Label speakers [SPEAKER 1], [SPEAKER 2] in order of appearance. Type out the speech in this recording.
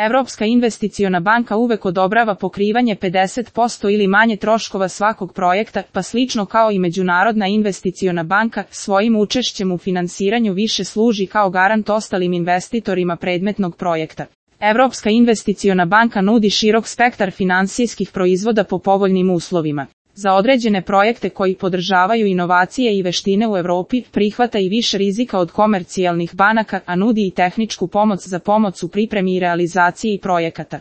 [SPEAKER 1] Evropska investiciona banka uvek odobrava pokrivanje 50% ili manje troškova svakog projekta, pa slično kao i Međunarodna investiciona banka, svojim učešćem u finansiranju više služi kao garant ostalim investitorima predmetnog projekta. Evropska investiciona banka nudi širok spektar finansijskih proizvoda po povoljnim uslovima. Za određene projekte koji podržavaju inovacije i veštine u Evropi, prihvata i više rizika od komercijalnih banaka, a nudi i tehničku pomoć za pomoć u pripremi i realizaciji projekata.